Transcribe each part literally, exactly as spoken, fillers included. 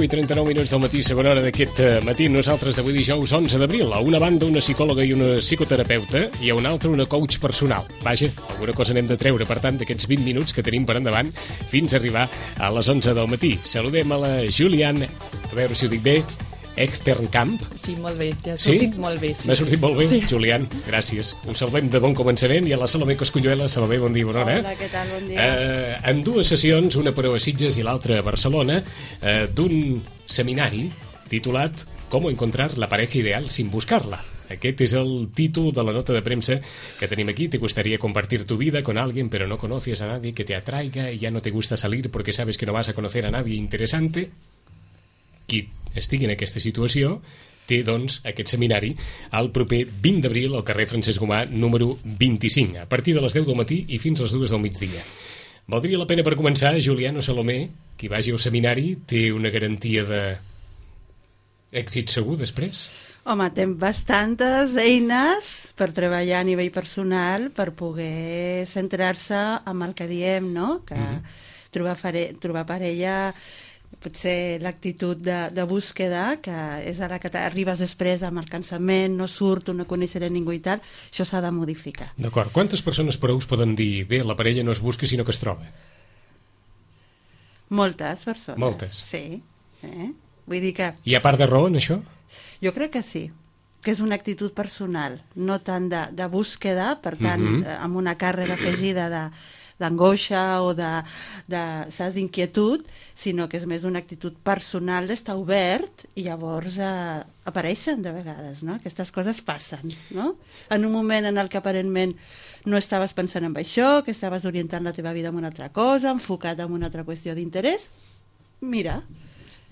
deu i trenta-nou minuts del matí, segona hora d'aquest matí. Nosaltres d'avui dijous onze d'abril. A una banda una psicòloga i una psicoterapeuta i a una altra una coach personal. Vaja, alguna cosa n'hem de treure, per tant, d'aquests vint minuts que tenim per endavant fins a arribar a les onze del matí. Saludem a la Juliane, a veure si ho dic bé, Externcamp. Sí, molt bé, t'ha sortit sí? molt bé. Sí. M'ha sortit molt bé, sí. Julián, gràcies. Us salvem de bon començament i a la Salomé Cosculluela. Salomé, bon dia, bona hora. Hola, què tal, bon dia. Eh, en dues sessions, una per a Sitges i l'altra a Barcelona, eh, d'un seminari titulat «Cómo encontrar la pareja ideal sin buscarla». Aquest és el títol de la nota de premsa que tenim aquí. Te gustaría compartir tu vida con alguien, pero no conoces a nadie que te atraiga y ya no te gusta salir porque sabes que no vas a conocer a nadie interesante. Qui estigui en aquesta situació té, doncs, aquest seminari el proper vint d'abril al carrer Francesc Gomà, número vint-i-cinc, a partir de les deu del matí i fins a les dues del migdia. Valdria la pena per començar, Julián o Salomé, qui vagi al seminari té una garantia de èxit segur després? Home, tem bastantes eines per treballar a nivell personal per poder centrar-se en el que diem, no? Que mm-hmm. trobar, fare, trobar parella... potser l'actitud de, de búsqueda, que és ara que arribes després amb el cansament, no surto, no coneixeré ningú i tal, això s'ha de modificar. D'acord. Quantes persones per us poden dir bé, la parella no es busca sinó que es troba? Moltes persones. Moltes? Sí. Eh? Vull dir que... Hi ha part de raó en això? Jo crec que sí, que és una actitud personal, no tant de, de búsqueda, per tant, mm-hmm. eh, amb una càrrega afegida de d'angoixa o de, de saps, d'inquietud, sinó que és més una actitud personal d'estar obert i llavors eh, apareixen de vegades, no? Aquestes coses passen, no? En un moment en el que aparentment no estaves pensant en això, que estaves orientant la teva vida en una altra cosa, enfocat en una altra qüestió d'interès, mira.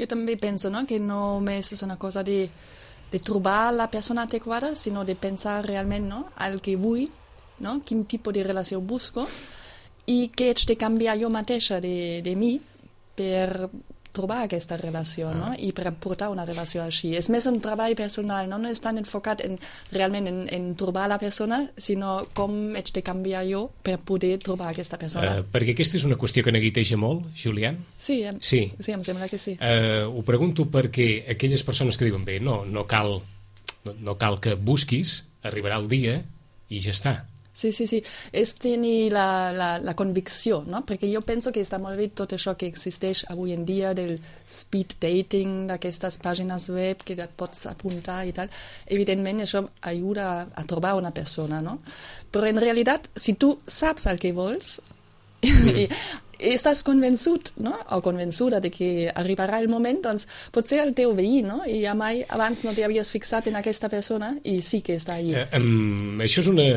Jo també penso, no?, que no només és una cosa de, de trobar la persona adequada, sinó de pensar realment, no?, el que vull, no?, quin tipus de relació busco, i què haig de canviar jo mateixa de, de mi per trobar aquesta relació, no? I per portar una relació així. És més un treball personal, no? No és tan enfocat en, realment en, en trobar la persona, sinó com haig de canviar jo per poder trobar aquesta persona. Uh, perquè aquesta és una qüestió que neguiteja molt, Julián? Sí, em, sí. sí, em sembla que sí. Uh, ho pregunto perquè aquelles persones que diuen bé, no, no, cal, no, no cal que busquis, arribarà el dia i ja està. Sí, sí, sí. És tenir la, la, la convicció, no? Perquè jo penso que està molt bé tot això que existeix avui en dia del speed dating, d'aquestes pàgines web que et pots apuntar i tal. Evidentment, això ajuda a trobar una persona, no? Però en realitat, si tu saps el que vols i estàs convençut, no? O convençuda de que arribarà el moment, doncs potser el teu veí, no? I mai abans no t'havies fixat en aquesta persona i sí que està allà. Uh, um, això és una...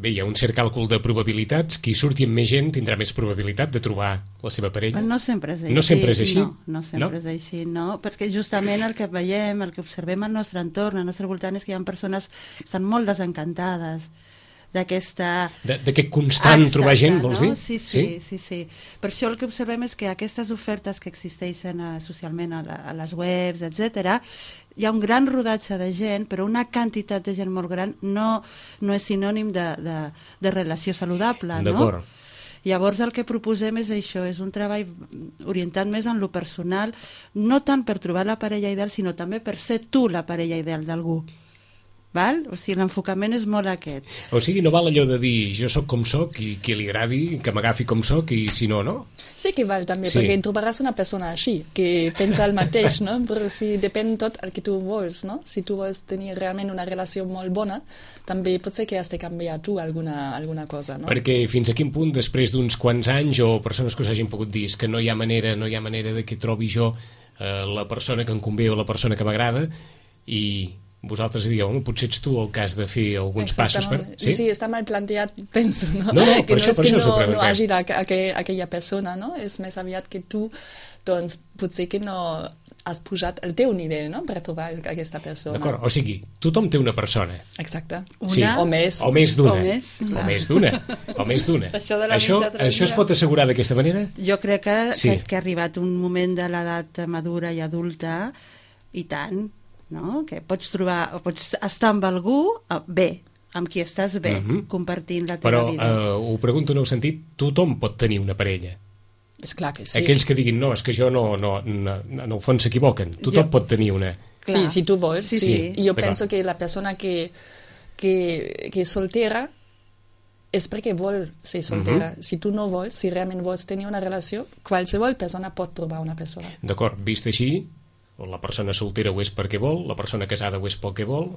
Bé, hi ha un cert càlcul de probabilitats. Qui surti amb més gent tindrà més probabilitat de trobar la seva parella. No sempre és així. No sempre és així? No, no sempre no? és així, no. Perquè justament el que veiem, el que observem al nostre entorn, al nostre voltant, és que hi ha persones que estan molt desencantades d'aquesta... D'aquest constant Exacte, trobar gent, vols no? dir? Sí sí, sí, sí, sí. Per això el que observem és que aquestes ofertes que existeixen uh, socialment a, la, a les webs, etcètera, hi ha un gran rodatge de gent, però una quantitat de gent molt gran no, no és sinònim de, de, de relació saludable, no? D'acord. Llavors el que proposem és això, és un treball orientat més en lo personal, no tant per trobar la parella ideal, sinó també per ser tu la parella ideal d'algú. Val? O sigui, l'enfocament és molt aquest. O sigui, no val allò de dir jo sóc com sóc i qui li agradi que m'agafi com sóc i si no, no? Sí que val també, sí. perquè trobaràs una persona així, que pensa el mateix, no? Però si depèn tot el que tu vols, no? Si tu vols tenir realment una relació molt bona, també potser que has de canviar tu alguna, alguna cosa, no? Perquè fins a quin punt, després d'uns quants anys o persones que us hagin pogut dir que no hi ha manera, no hi ha manera de que trobi jo eh, la persona que em convé o la persona que m'agrada i... vosaltres diríeu, home, potser ets tu el que has de fer alguns passos per... Sí? sí, està mal planteat, penso, no? No, no, que per no això, és per que això s'ho no, no preguntem. hagi la, aquella, aquella persona, no? És més aviat que tu, doncs, potser que no has pujat el teu nivell, no?, per trobar aquesta persona. D'acord, o sigui, tothom té una persona. Exacte. Una, Sí. o més. O més d'una. O més, o més d'una. O més d'una. Això de la això, mitja trenta. això es pot assegurar d'aquesta manera? Jo crec que, Sí. que, és que ha arribat un moment de l'edat madura i adulta, i tant, no? Que pots trobar, o pots estar amb algú eh, bé, amb qui estàs bé, Mhm. compartint la teva Però vida. eh, ho pregunto en el sentit, tothom pot tenir una parella. És clar que sí. Aquells que diguin, no, és que jo no, no, no en el fons s'equivoquen. Tothom Jo- pot tenir una... Sí, Clar. si tu vols, Sí, sí. sí. I jo D'acord. penso que la persona que, que, que és soltera és perquè vol ser soltera. Mhm. Si tu no vols, si realment vols tenir una relació, qualsevol persona pot trobar una persona. D'acord, vist així, la persona soltera ho és perquè vol, la persona casada ho és pel que vol,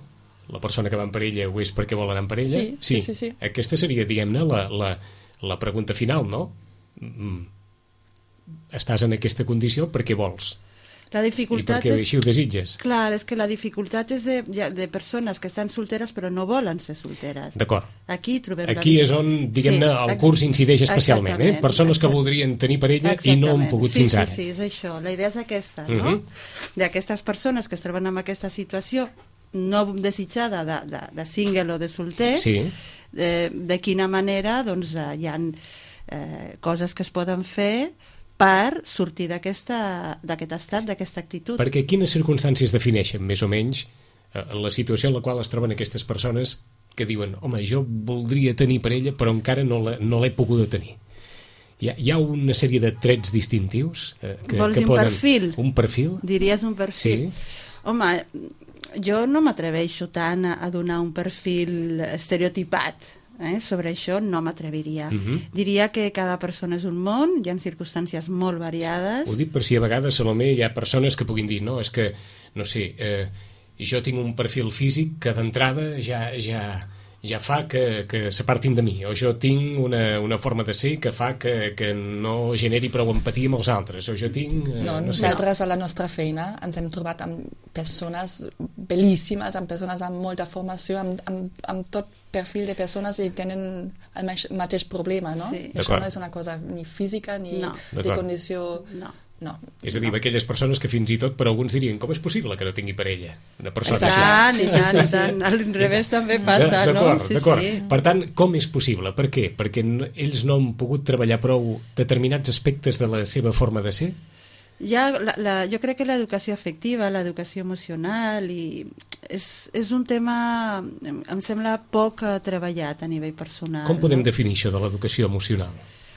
la persona que va en parella ho és perquè vol anar en parella. Sí, sí, sí, sí. Aquesta seria, diguem-ne, la, la, la pregunta final, no? Mm. Estàs en aquesta condició perquè vols. La I dificultat perquè és... així ho desitges. Clar, és que la dificultat és de, ja- de persones que estan solteres però no volen ser solteres. D'acord. Aquí trobem... Aquí és on, diguem-ne, Sí, el ex- curs incideix especialment, eh? exactament, Persones que exacte. voldrien tenir parella i no han Exactament. pogut sí, fins sí, ara. Sí, és això. La idea és aquesta, no? Mhm. D'aquestes persones que es troben en aquesta situació no desitjada de, de, de single o de solter, Sí. eh, de quina manera doncs, eh, hi ha eh, coses que es poden fer per sortir d'aquesta- d'aquest estat, d'aquesta actitud. Perquè quines circumstàncies defineixen, més o menys, eh, la situació en la qual es troben aquestes persones que diuen, home, jo voldria tenir parella però encara no l'he no l'he pogut tenir. Hi ha, hi ha una sèrie de trets distintius eh, que, Vols que dir un poden... perfil? Un perfil? Diries un perfil? Sí. Home, jo no m'atreveixo tant a, a donar un perfil estereotipat. Eh? Sobre això no m'atreviria. Mhm. Diria que cada persona és un món, hi ha circumstàncies molt variades. Ho dic per si a vegades, Salomé, hi ha persones que puguin dir, no, és que, no sé, eh, jo tinc un perfil físic que d'entrada ja, ja, ja fa que, que s'apartin de mi, o jo tinc una, una forma de ser que fa que, que no generi prou empatia amb els altres, o jo tinc... Eh, No, no sé. nosaltres a la nostra feina ens hem trobat amb persones bel·líssimes, amb persones amb molta formació, amb, amb, amb tot perfil de persones i tenen el mateix, mateix problema, no? Sí. Això D'acord. no és una cosa ni física ni No. de D'acord. condició... No. No. És a dir, aquelles persones que fins i tot per alguns dirien, com és possible que no tingui parella? Una persona Exacte. així. Tant, Sí, i sí, tant, sí, i sí. tant. Al revés també passa, no? D'acord, Sí, d'acord. sí. Per tant, com és possible? Per què? Perquè no- ells no han pogut treballar prou determinats aspectes de la seva forma de ser? Hi ha la, la, jo crec que l'educació afectiva, l'educació emocional, i és, és un tema, em, em sembla, poc eh, treballat a nivell personal. Com podem no? definir això de l'educació emocional?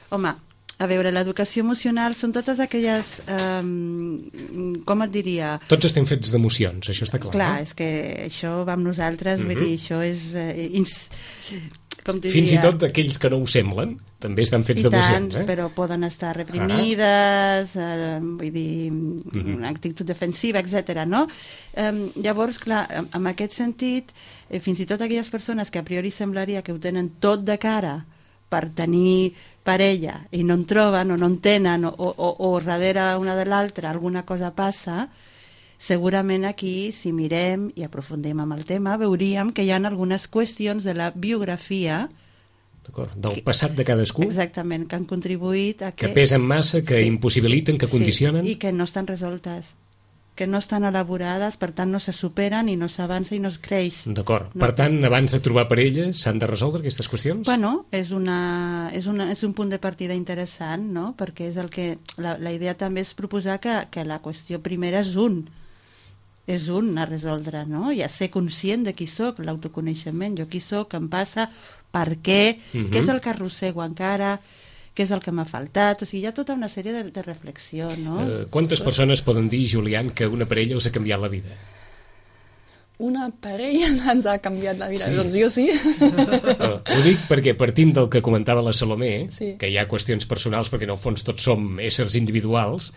Home, a veure, l'educació emocional són totes aquelles, um, com et diria... Tots estem fets d'emocions, això està clar. Clar, no? és que això va amb nosaltres, vull Mhm. dir, això és... Eh, ins, com diria, Fins i tot aquells que no ho semblen també estan fets i tant, d'emocions, eh? però poden estar reprimides, eh, vull dir, Mhm. una actitud defensiva, etcètera. No? Eh, llavors, clar, en, en aquest sentit, eh, fins i tot aquelles persones que a priori semblaria que ho tenen tot de cara per tenir parella i no en troben o no en tenen o, o, o, o darrere una de l'altra alguna cosa passa, segurament aquí, si mirem i aprofundim amb el tema, veuríem que hi ha algunes qüestions de la biografia D'acord, del passat de cadascú, exactament, que han contribuït a que... que pesen massa, que impossibiliten, que sí, condicionen. i que no estan resoltes, que no estan elaborades, per tant no se superen i no s'avança i no es creix. D'acord. No. Per tant, abans de trobar parella, s'han de resoldre aquestes qüestions? Bueno, és, una, és, una, és un punt de partida interessant, no? Perquè és el que... La, la idea també és proposar que, que la qüestió primera és un, és un a resoldre, no? I a ser conscient de qui sóc, l'autoconeixement, jo qui sóc, què em passa, per què, Mhm. què és el que arrossego encara, què és el que m'ha faltat, o sigui, hi ha tota una sèrie de, de reflexió, no? Eh, quantes persones poden dir, Julián, que una parella els ha canviat la vida? Una parella ens ha canviat la vida. Sí. Doncs jo sí. Uh, ho dic perquè partint del que comentava la Salomé, Sí. que hi ha qüestions personals perquè en el fons tots som éssers individuals,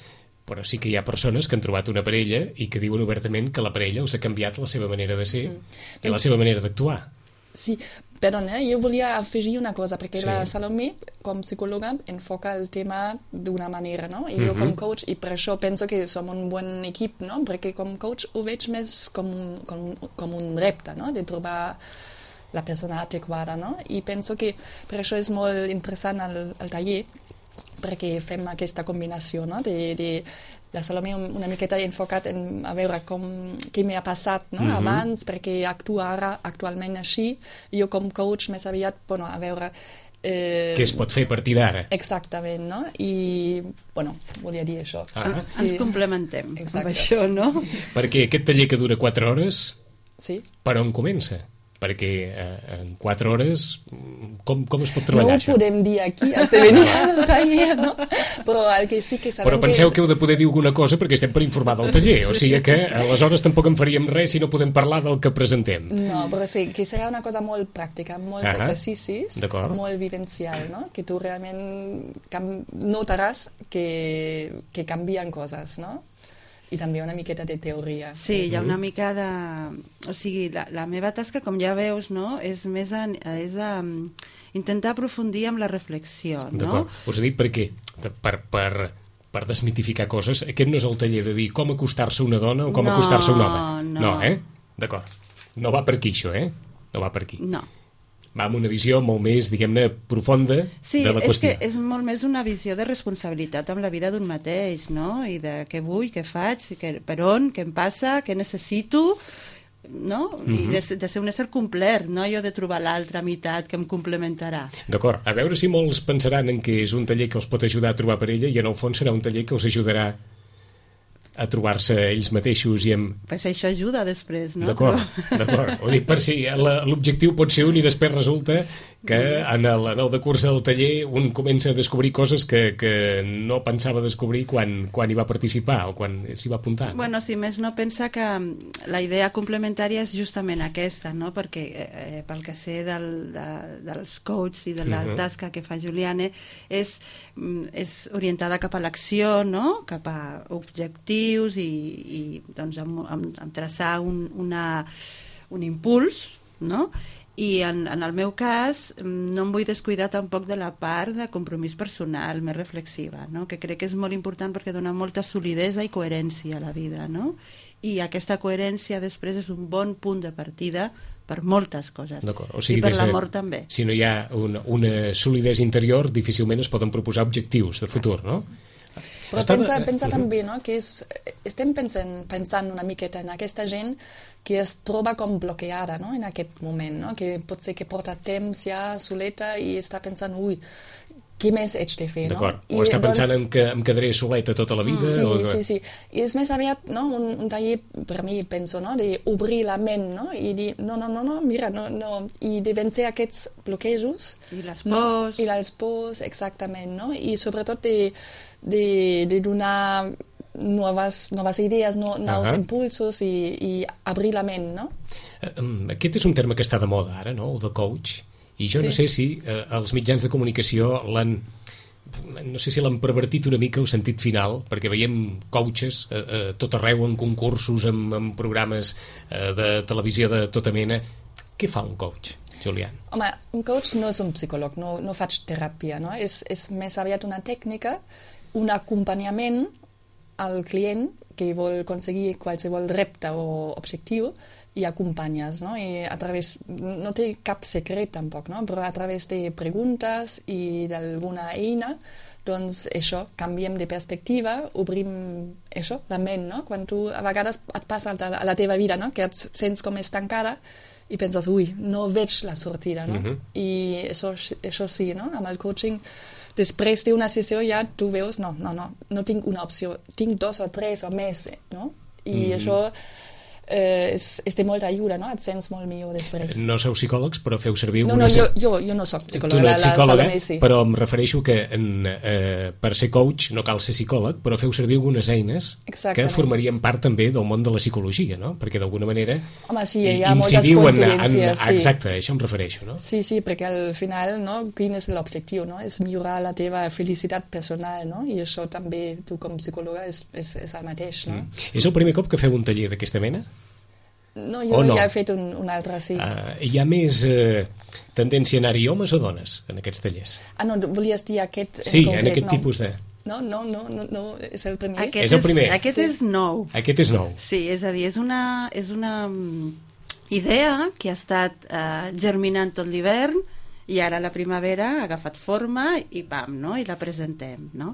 però sí que hi ha persones que han trobat una parella i que diuen obertament que la parella els ha canviat la seva manera de ser Mm. i la Doncs- seva manera d'actuar. Sí, Perdona, jo volia afegir una cosa, perquè Sí. la Salomé, com psicòloga, enfoca el tema d'una manera, no? I Mhm. jo com coach, i per això penso que som un bon equip, no? Perquè com coach ho veig més com, un- com, com un repte, no? De trobar la persona adequada, no? I penso que per això és molt interessant el, el taller, perquè fem aquesta combinació, no? De, de la Salomé una miqueta enfocat en a veure com, què m'ha passat, no? Mhm. Abans, perquè actua ara actualment així, i jo com coach més aviat, bueno, a veure... Eh, Què es pot fer a partir d'ara? Exactament, no? I, bueno, volia dir això. Ah. Sí. Ens complementem Exacte. amb això, no? Perquè aquest taller que dura quatre hores, Sí. per on comença? Perquè eh, en quatre hores, com, com es pot No treballar ho això? podem dir aquí, has de venir al taller, no? Però el que sí que sabem Però penseu que... que heu de poder dir alguna cosa perquè estem per informar del taller, o sigui que aleshores tampoc en faríem res si no podem parlar del que presentem. No, però sí, que serà una cosa molt pràctica, amb molts Ahà. exercicis, D'acord. molt vivencial, no? Que tu realment cam... notaràs que, que canvien coses, no? I també una miqueta de teoria. Sí, hi ha una mica de... O sigui, la, la meva tasca, com ja veus, no? És més a, és a um, intentar aprofundir amb la reflexió, no? D'acord. Us he dit per què? Per, per, per desmitificar coses. Aquest no és el taller de dir com acostar-se a una dona o com No, acostar-se a un home. no. No, eh? D'acord. No va per aquí, això, eh? No va per aquí. No. Va amb una visió molt més, diguem-ne, profunda Sí, de la és qüestió. que és molt més una visió de responsabilitat amb la vida d'un mateix, no? I de què vull, què faig, què, per on, què em passa, què necessito, no? I de, de ser un ésser complet, no? Jo de trobar l'altra meitat que em complementarà. D'acord. A veure si molts pensaran en que és un taller que els pot ajudar a trobar parella i en el fons serà un taller que els ajudarà a trobar-se ells mateixos i amb... Pues això ajuda després, no? D'acord, d'acord. Ho dic per si la- l'objectiu pot ser un i després resulta que en el, en el decurs del taller un comença a descobrir coses que, que no pensava descobrir quan, quan hi va participar o quan s'hi va apuntar. No? Bueno, si més no, pensa que la idea complementària és justament aquesta, no? Perquè eh, pel que sé del, de, dels coaches i de la Mhm. tasca que fa Juliane és, mm, és orientada cap a l'acció, no? Cap a objectius i, i doncs amb, amb, amb traçar un, una, un impuls, no? I en, en el meu cas mm, no em vull descuidar tampoc de la part de compromís personal més reflexiva, no? Que crec que és molt important perquè dona molta solidesa i coherència a la vida, no? I aquesta coherència després és un bon punt de partida per moltes coses. D'acord. O sigui, I per des de- l'amor també. Si no hi ha una, una solidesa interior, difícilment es poden proposar objectius de futur, no? Però Estava- pensa, pensa Mhm. també, no?, que és, estem pensant, pensant una miqueta en aquesta gent que es troba com bloqueada, no?, en aquest moment, no?, que pot ser que porta temps ja soleta i està pensant, ui, què més haig de fer, no? D'acord. O I, està doncs, pensant en que em quedaré soleta tota la vida? Sí, o... sí, sí. I és més aviat, no?, un, un taller, per mi, penso, no?, d'obrir la ment, no?, i dir, no, no, no, no, mira, no, no, i de vencer aquests bloquejos. I les No? pors. I les pors, exactament, no? I sobretot de, de, de donar noves, noves idees, no, nous Ahà. impulsos i, i obrir la ment, no? Eh, em, Aquest és un terme que està de moda ara, no?, el de coach, i jo Sí. no sé si eh, els mitjans de comunicació l'han no sé si l'han pervertit una mica el sentit final, perquè veiem coaches eh, eh, tot arreu en concursos, en, en programes eh, de televisió de tota mena. Què fa un coach, Julián? Home, un coach no és un psicòleg, no, no faig teràpia, no? És, és més aviat una tècnica, un acompanyament al client que vol aconseguir qualsevol repte o objectiu i acompanyes, no? I a través, no té cap secret tampoc, no? Però a través de preguntes i d'alguna eina, doncs això, canviem de perspectiva, obrim això, la ment, no? Quan tu a vegades et passa a la teva vida, no?, que et sents com estancada i penses, ui, no veig la sortida, no? Mhm. I això, això sí, no? Amb el coaching, després d'una sessió ja tu veus, no, no, no, no tinc una opció, tinc dos o tres o més, no? I Mhm. això eh, és, és de molta ajuda, no? Et sents molt millor després. No sou psicòlegs, però feu servir No, una... no, jo, jo, jo no soc Tu psicòloga, no la, ets la psicòloga, Salomé sí. però em refereixo que en, eh, per ser coach no cal ser psicòleg, però feu servir algunes eines que Exactament. formarien part també del món de la psicologia, no? Perquè d'alguna manera Home, sí, hi ha moltes incidiu en, en, coincidències, sí. exacte, a això em refereixo, no? Sí, sí, perquè al final, no, quin és l'objectiu, no? És millorar la teva felicitat personal, no? I això també, tu com psicòloga, és, és, és el mateix, no? És el primer cop que feu un taller d'aquesta mena? No, jo no? ja he fet un, un altre, sí. Uh, hi ha més uh, tendència a anar-hi homes o dones en aquests tallers? Ah, no, volies dir aquest Sí, en concret? en aquest no. tipus de... No, no, no, no, no, és el primer. Aquest És el primer. Aquest Sí. és nou. Aquest és nou. Sí, és a dir, és una, és una mm, idea que ha estat eh, germinant tot l'hivern i ara la primavera ha agafat forma i pam, no? I la presentem, no?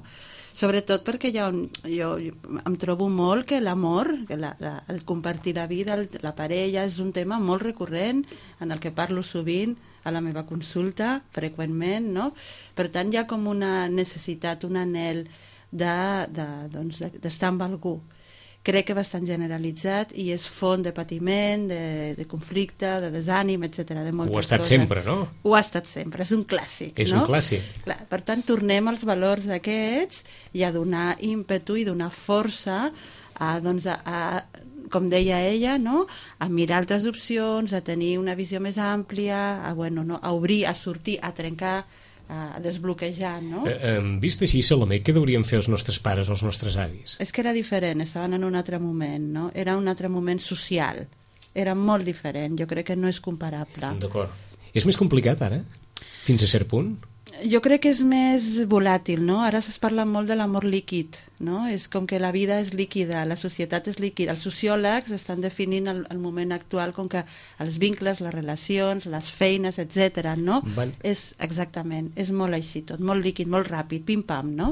Sobretot perquè jo, jo, jo em trobo molt que l'amor, que la, la, el compartir la vida, el, la parella, és un tema molt recurrent en el que parlo sovint a la meva consulta, freqüentment, no? Per tant, hi ha com una necessitat, un anhel de, de, doncs, de, d'estar amb algú. Crec que bastant generalitzat i és font de patiment, de, de conflicte, de desànim, etcètera, de moltes Ho ha estat coses. sempre, no? Ho ha estat sempre, és un clàssic, És no? un clàssic. Clar, per tant, tornem als valors aquests i a donar ímpetu i donar força a, doncs, a, a, com deia ella, no? A mirar altres opcions, a tenir una visió més àmplia, a, bueno, no? a obrir, a sortir, a trencar, a desbloquejar, no? Eh, eh, vist així, Salomé, què deurien fer els nostres pares o els nostres avis? És que era diferent, estaven en un altre moment, no? Era un altre moment social, era molt diferent, jo crec que no és comparable. D'acord. És més complicat ara? Fins a cert punt? Jo crec que és més volàtil, no? Ara es parla molt de l'amor líquid, no? És com que la vida és líquida, la societat és líquida. Els sociòlegs estan definint el, el moment actual com que els vincles, les relacions, les feines, etcètera, no? Van. És exactament, és molt així tot, molt líquid, molt ràpid, pim-pam, no?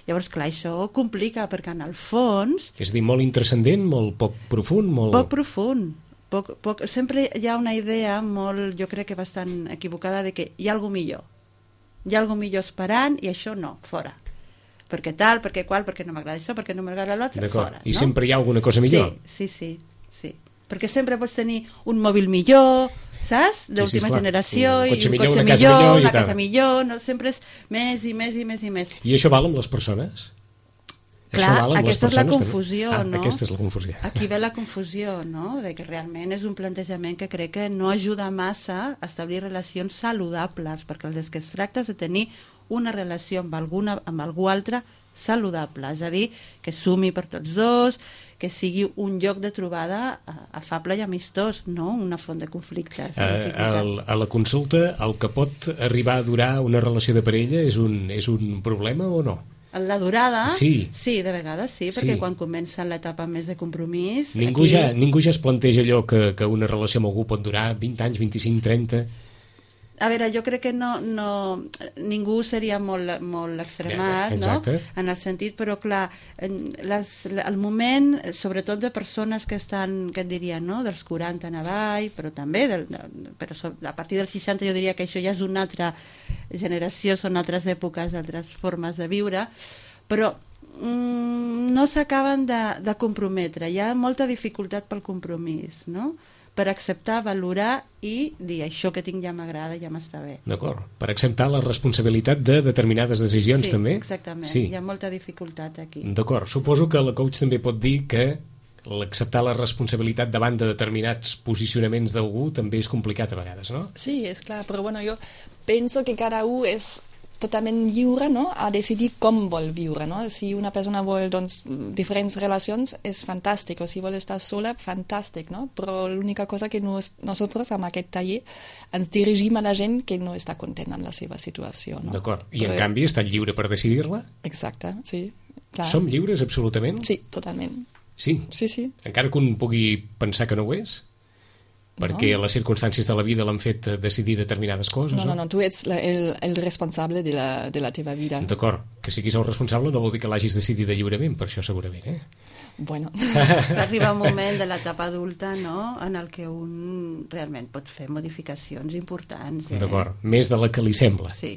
Llavors, clar, això complica, perquè en el fons... És a dir, molt intrascendent, molt poc profund, molt... Poc profund. Poc, poc, sempre hi ha una idea molt, jo crec que bastant equivocada, de que hi ha alguna millor. Hi ha alguna millor esperant i això no, fora. Perquè tal, perquè qual, perquè no m'agrada això, perquè no m'agrada l'altre, fora. I no? sempre hi ha alguna cosa millor? Sí, sí, sí, sí. Perquè sempre pots tenir un mòbil millor, saps? D'última sí, sí, generació, un i cotxe un millor, cotxe una casa millor, millor i una tal. casa millor, no? Sempre és més i més i més i més. I això val amb les persones? Clar, Això val amb aquesta les és la persones, confusió, també? no? Ah, aquesta és la confusió. Aquí ve la confusió, no? De que realment és un plantejament que crec que no ajuda massa a establir relacions saludables, perquè el que es tracta és de tenir una relació amb, alguna, amb algú altre saludable, és a dir, que sumi per tots dos, que sigui un lloc de trobada afable i amistós, no una font de conflictes. Uh, el, a la consulta, el que pot arribar a durar una relació de parella és un, és un problema o no? La durada, sí, sí de vegades sí, perquè sí. quan comença l'etapa més de compromís... Ningú, aquí... ja, ningú ja es planteja allò que, que una relació amb algú pot durar vint anys, vint-i-cinc, trenta... A veure, jo crec que no, no, ningú seria molt, molt extremat, no? En el sentit, però clar, les, el moment, sobretot de persones que estan, que et diria, no? Dels quaranta en avall, però també, del, però a partir dels seixanta jo diria que això ja és una altra generació, són altres èpoques, altres formes de viure, però mm, no s'acaben de, de comprometre, hi ha molta dificultat pel compromís, no? Per acceptar, valorar i dir això que tinc ja m'agrada, ja m'està bé. D'acord. Per acceptar la responsabilitat de determinades decisions, sí, també? Exactament. Sí, hi ha molta dificultat aquí. D'acord. Suposo que la coach també pot dir que l'acceptar la responsabilitat davant de determinats posicionaments d'algú també és complicat a vegades, no? Sí, és clar, però bueno, jo penso que cada un és totalment lliure, no?, a decidir com vol viure, no? Si una persona vol, doncs, diferents relacions, és fantàstic, o si vol estar sola, fantàstic, no? Però l'única cosa que nos, nosaltres, amb aquest taller, ens dirigim a la gent que no està content amb la seva situació, no? D'acord. I, Però... en canvi, està lliure per decidir-la? Exacte, sí. Clar. Som lliures, absolutament? Sí, totalment. Sí? Sí, sí. Encara que un pugui pensar que no ho és? Perquè no. Les circumstàncies de la vida l'han fet decidir determinades coses, no? No, no, no, tu ets la, el, el responsable de la, de la teva vida. D'acord, que siguis el responsable no vol dir que l'hagis decidit lliurement, per això segurament, eh? Bueno. Arriba un moment de l'etapa adulta, no?, en el que un realment pot fer modificacions importants. Eh? D'acord, més de la que li sembla. Sí.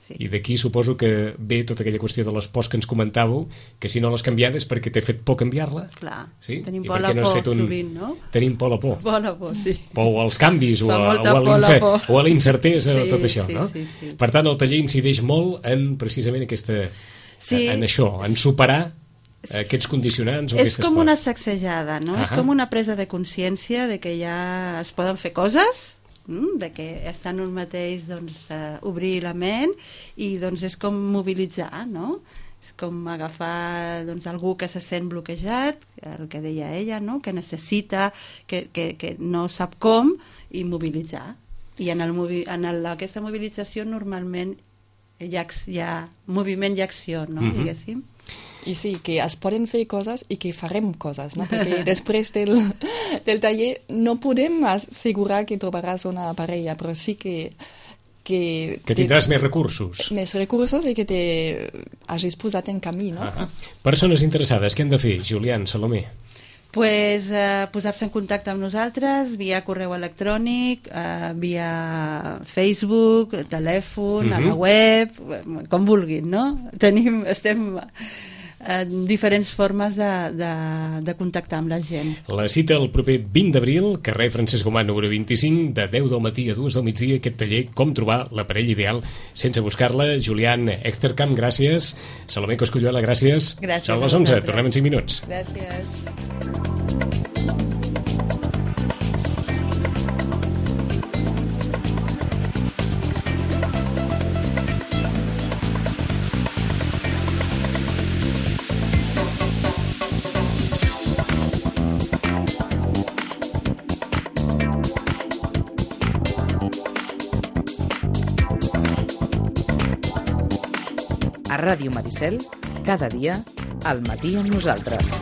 Sí. I d'aquí suposo que ve tota aquella qüestió de les pors que ens comentàveu, que si no l'has canviada és perquè t'he fet por canviar-la. Clar, sí? tenim I por a la no por un... sovint, no? Tenim por a la por. Por a la por, sí. O als canvis, o a, o, a por, o a la incertesa, sí, tot això, sí, no? Sí, sí. Per tant, el taller incideix molt en precisament aquesta... Sí. En això, en superar aquests condicionants o és com pors. una sacsejada, no? Ah, és com una presa de consciència de que ja es poden fer coses, de que està en un mateix, doncs, uh, obrir la ment i doncs és com mobilitzar, no? És com agafar doncs, algú que se sent bloquejat, el que deia ella, no? Que necessita, que, que, que no sap com, i mobilitzar. I en, el movi en el, aquesta mobilització normalment hi ha, hi ha moviment i acció, no? Mm-hmm. Diguéssim. I sí, que es poden fer coses i que farem coses, no? Perquè després del, del taller no podem assegurar que trobaràs una parella, però sí que que, que tindràs més recursos. Més recursos i que t'hagis posat en camí, no? Ah, persones interessades, què han de fer, Julián, Salomé? Pues, eh, posar-se en contacte amb nosaltres via correu electrònic, eh, via Facebook, telèfon, mm-hmm. a la web, com vulguin, no? Tenim, estem en diferents formes de, de, de contactar amb la gent. La cita el proper vint d'abril, carrer Francesc Gomà número vint-i-cinc, de deu del matí a dues del migdia, aquest taller, com trobar la parella ideal sense buscar-la. Julián Echterkamp, gràcies. Salomé Cosculluela, gràcies. Gràcies. Són les onze, tornem en cinc minuts. Gràcies. A Ràdio Maricel, cada dia, al matí amb nosaltres.